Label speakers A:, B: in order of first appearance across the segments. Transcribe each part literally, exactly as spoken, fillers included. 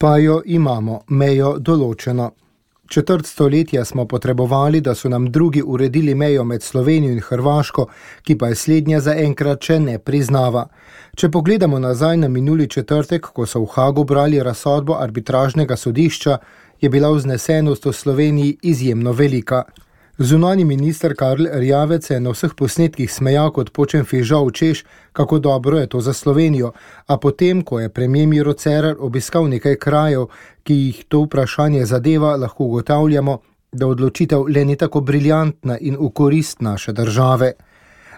A: Pa jo imamo, mejo določeno. Četrt stoletja smo potrebovali, da so nam drugi uredili mejo med Slovenijo in Hrvaško, ki pa je slednja zaenkrat še ne priznava. Če pogledamo nazaj na minuli četrtek, ko so v Hagu brali razsodbo arbitražnega sodišča, je bila vznesenost v Sloveniji izjemno velika. Zunanji minister Karl Erjavec se je na vseh posnetkih smejal kot počen fižol, češ, kako dobro je to za Slovenijo, a potem, ko je premier Miro Cerar obiskal nekaj krajev, ki jih to vprašanje zadeva, lahko ugotavljamo, da odločitev le ni tako briljantna in v korist naše države.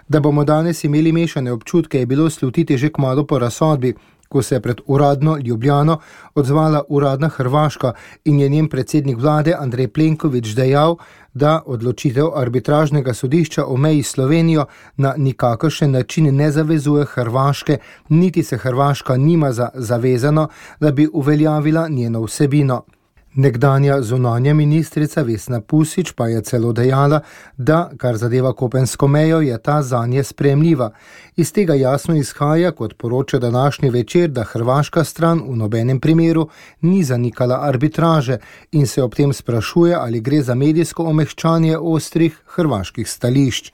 A: Da bomo danes imeli mešane občutke, je bilo slutiti že kmalu po razsodbi, ko se je pred uradno Ljubljano odzvala uradna Hrvaška in je njen predsednik vlade Andrej Plenković dejal, da odločitev arbitražnega sodišča o meji s Slovenijo na nikakršen način ne zavezuje Hrvaške, niti se Hrvaška nima za zavezano, da bi uveljavila njeno vsebino. Nekdanja zunanja ministrica Vesna Pusić pa je celo dejala, da, kar zadeva kopensko mejo, je ta zanje sprejemljiva. Iz tega jasno izhaja, kot poroča današnji Večer, da hrvaška stran v nobenem primeru ni zanikala arbitraže in se ob tem sprašuje, ali gre za medijsko omehčanje ostrih hrvaških stališč.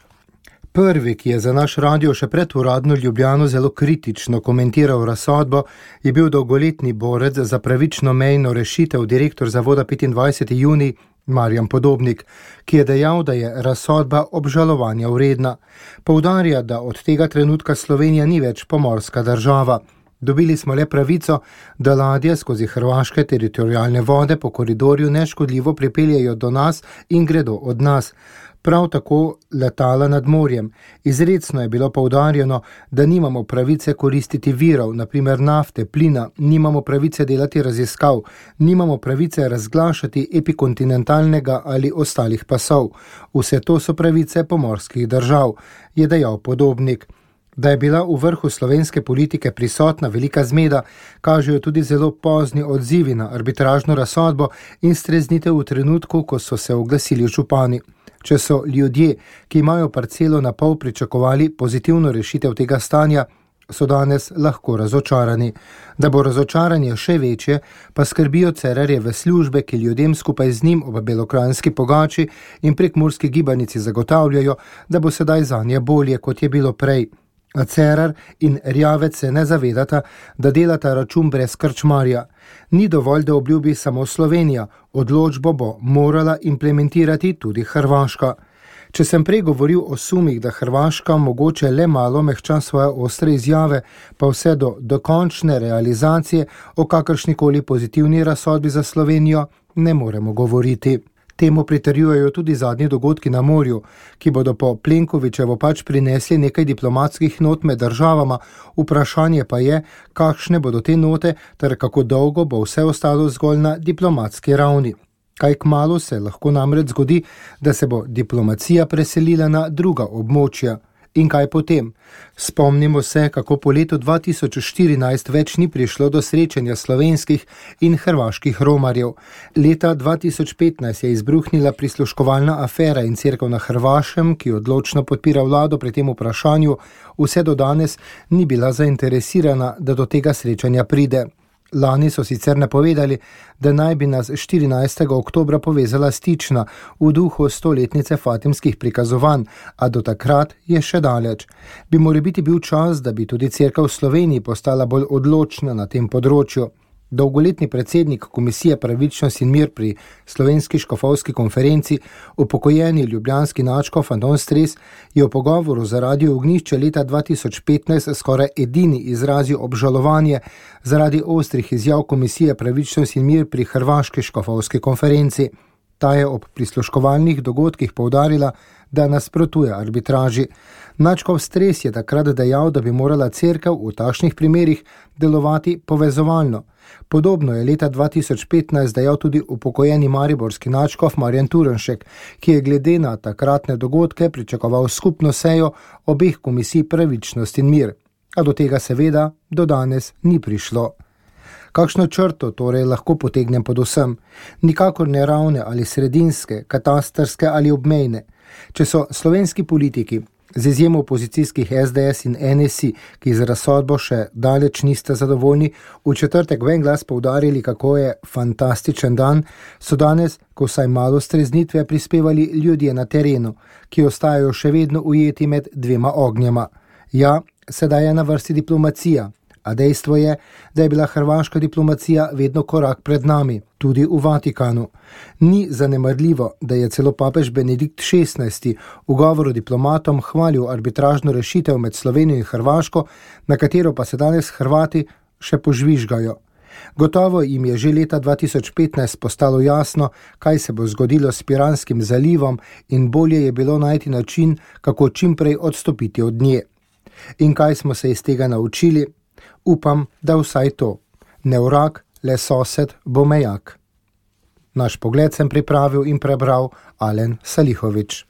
A: Prvi, ki je za naš radio še pred uradno Ljubljano zelo kritično komentiral razsodbo, je bil dolgoletni borec za pravično mejno rešitev, direktor zavoda petindvajseti junij Marjan Podobnik, ki je dejal, da je razsodba obžalovanja vredna. Poudarja, da od tega trenutka Slovenija ni več pomorska država. Dobili smo le pravico, da ladje skozi hrvaške teritorialne vode po koridorju neškodljivo pripeljejo do nas in gredo od nas. Prav tako letala nad morjem. Izrecno je bilo poudarjeno, da nimamo pravice koristiti virov, na primer nafte, plina, nimamo pravice delati raziskav, nimamo pravice razglašati epikontinentalnega ali ostalih pasov. Vse to so pravice pomorskih držav, je dejal Podobnik. Da je bila v vrhu slovenske politike prisotna velika zmeda, kažejo tudi zelo pozni odzivi na arbitražno razsodbo in streznitev v trenutku, ko so se oglasili župani. Če so ljudje, ki imajo parcelo na pol, pričakovali pozitivno rešitev tega stanja, so danes lahko razočarani. Da bo razočaranje še večje, pa skrbijo Cerarjeve službe, ki ljudem skupaj z njim ob belokranjski pogači in prekmurski gibanici zagotavljajo, da bo sedaj zanje bolje, kot je bilo prej. A Cerar in Erjavec se ne zavedata, da delata račun brez krčmarja. Ni dovolj, da obljubi samo Slovenija, odločbo bo morala implementirati tudi Hrvaška. Če sem prej govoril o sumih, da Hrvaška mogoče le malo mehča svoje ostre izjave, pa vse do dokončne realizacije o kakršnikoli pozitivni razsodbi za Slovenijo ne moremo govoriti. Temu pritrjujejo tudi zadnji dogodki na morju, ki bodo po Plenkovićevo pač prinesli nekaj diplomatskih not med državama, vprašanje pa je, kakšne bodo te note ter kako dolgo bo vse ostalo zgolj na diplomatski ravni. Kaj kmalu se lahko namreč zgodi, da se bo diplomacija preselila na druga območja. In kaj potem? Spomnimo se, kako po letu dva tisoč štirinajst več ni prišlo do srečanja slovenskih in hrvaških romarjev. Leta dva tisoč petnajst je izbruhnila prisluškovalna afera in cerkev na Hrvaškem, ki odločno podpira vlado pri tem vprašanju, vse do danes ni bila zainteresirana, da do tega srečanja pride. Lani so sicer napovedali, da naj bi nas štirinajstega oktobra povezala stična v duhu stoletnice fatimskih prikazovanj, a do takrat je še daleč. Bi morebiti bil čas, da bi tudi cerkev v Sloveniji postala bolj odločna na tem področju. Dolgoletni predsednik Komisije Pravičnost in mir pri Slovenski škofovski konferenci, upokojeni ljubljanski nadškof Anton Stres, je v pogovoru za Radio Ognjišče leta dva tisoč petnajst skoraj edini izrazil obžalovanje zaradi ostrih izjav Komisije Pravičnost in mir pri Hrvaški škofovski konferenci. Ta je ob prisluškovalnih dogodkih poudarila, da nasprotuje arbitraži. Nadškof Stres je takrat dejal, da bi morala cerkev v takšnih primerih delovati povezovalno. Podobno je leta dva tisoč petnajst dejal tudi upokojeni mariborski nadškof Marjan Turnšek, ki je glede na takratne dogodke pričakoval skupno sejo obeh komisij Pravičnost in mir. A do tega seveda do danes ni prišlo. Kakšno črto torej lahko potegnem pod vsem? Nikakor ne ravne ali sredinske, katastrske ali obmejne. Če so slovenski politiki Z izjemo opozicijskih S D S in N S I, ki z razsodbo še daleč niste zadovoljni, v četrtek v en glas poudarili, kako je fantastičen dan, so danes, ko vsaj malo streznitve, prispevali ljudje na terenu, ki ostajajo še vedno ujeti med dvema ognjema. Ja, sedaj je na vrsti diplomacija, a dejstvo je, da je bila hrvaška diplomacija vedno korak pred nami, tudi v Vatikanu. Ni zanemarljivo, da je celo papež Benedikt šestnajsti v govoru diplomatom hvalil arbitražno rešitev med Slovenijo in Hrvaško, na katero pa se danes Hrvati še požvižgajo. Gotovo jim je že leta dva tisoč petnajst postalo jasno, kaj se bo zgodilo s Piranskim zalivom, in bolje je bilo najti način, kako čimprej odstopiti od nje. In kaj smo se iz tega naučili? Upam, da vsaj to. Ne vrag, le sosed bo mejak. Naš pogled sem pripravil in prebral Alen Salihović.